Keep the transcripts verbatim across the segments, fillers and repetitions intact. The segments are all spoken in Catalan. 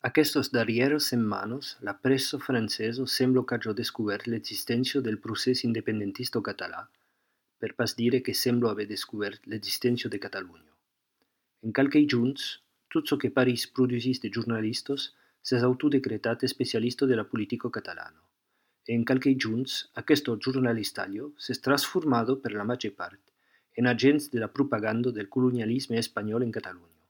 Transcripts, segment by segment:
Aquestes darrieres setmanes, la pressa francesa sembla que hagi descobert l'existència del procés independentista català, per pas dire que sembla haver descobert l'existència de Catalunya. En qualques junts, tot ce que París produisís de jornalistes s'és autodecretat especialista de la política catalana. E en qualques junts, aquest giornalistaio s'és transformat per la maggior part en agents de la propaganda del colonialisme espanyol en Catalunya.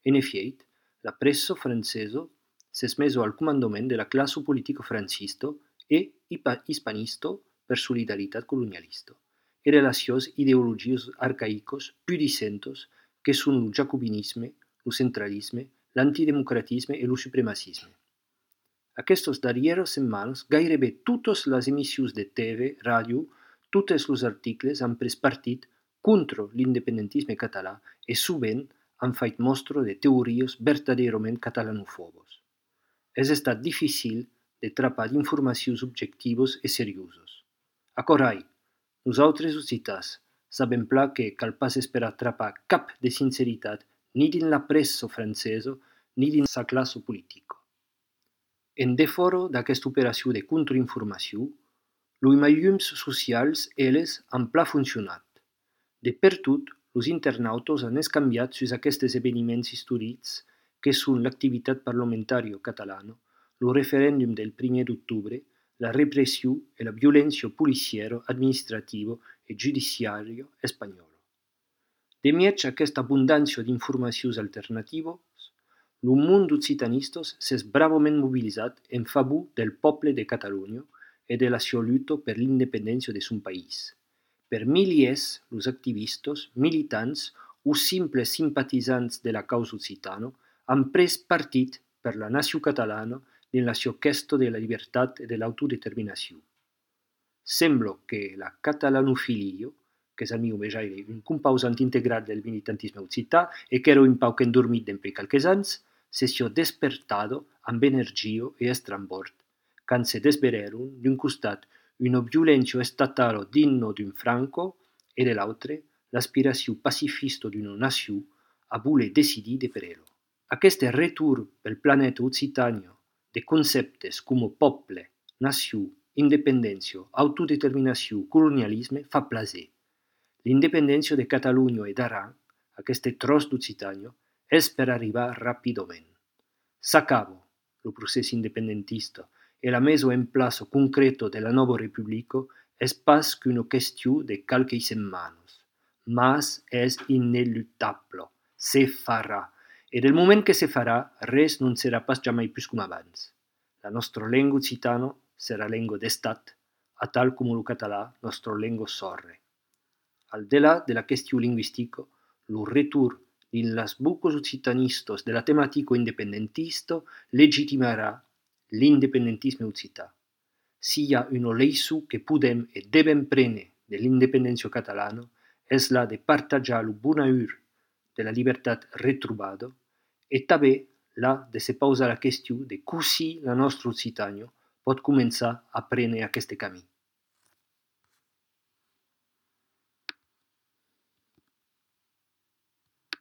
En effiet, la pressa francesa s'és mesa al comandament de la classe politica francista e hispanista per solidaritat colonialista e relacions ideologies arcaïques pudicentes que són el jacobinisme, el centralisme, l'antidemocratisme e el supremacisme. Aquestes darrieres setmanes, gairebé totes les emissions de T V, ràdio, tots els articles han pres partit contra l'independentisme català e sovint han fet mostra de teories verdaderament catalanofobes. És estat difícil de trapar d'informacions objectives e serioses. A corai, nosaltres occitans sabem pla que cal pas esperar trapar cap de sinceritat ni dins la pressa francesa ni dins sa classe politica. En defora d'aquesta operació de contrainformació, els mitjans socials, elles, han pla funcionat. De per tot, els internautes han escanviat sus aquests esdeveniments històrics que són l'activitat parlamentària catalana, el referèndum del primer d'octubre, la repressió i la violència policiera, administrativa i judiciària espanyola. De miig aquesta abundància d'informacions alternatives, el món d'occitanistes s'és bravament mobilitzat en favor del poble de Catalunya e de la seva lluita per l'independència de son país. Per miliers, els activistes, militants o simples simpatitzants de la causa occitana han pres partit per la nació catalana en la seva questa de la llibertat i de l'autodeterminació. Sembla que la catalanofilia, que és al meu vejaire un composant integral del militantisme occità e que era un pauc endormit d'empè qualques anys, se sia despertada amb energia e estrambord, quan se desvereron d'un costat una violència estatala digna d'un Franco e de l'altre l'aspiració pacifista d'una nació a voler decidir de per ella. Aquest retorn pel planeta Occitània de conceptes com poble, nació, independència, autodeterminació, colonialisme fa plaser. L'independència de Catalunya e d'Aran, aquest tros d'Occitània, és per arribar ràpidament. S'acaba el procés independentista e la mesa en plaça concreta de la nova república és pas qu'una qüestió de qualques setmanes, mas és ineluttable, se farà. E del moment que se farà, res non serà pas jamai plus com abans. La nostra llengua occitana serà llengua d'estat, a tal com el català, nostra llengua sorre. Al delà de la qüestió lingüística, el retorn dins les boques occitanistes de la temàtica independentista legitimarà l'independentisme occità. Si hi ha una leçó que podem i devem prendre de l'independència catalana, és la de partajar el bonheur de la llibertat retrobada i també la de se posar la qüestió de così la nostra Occitània pot començar a prendre aquest camí.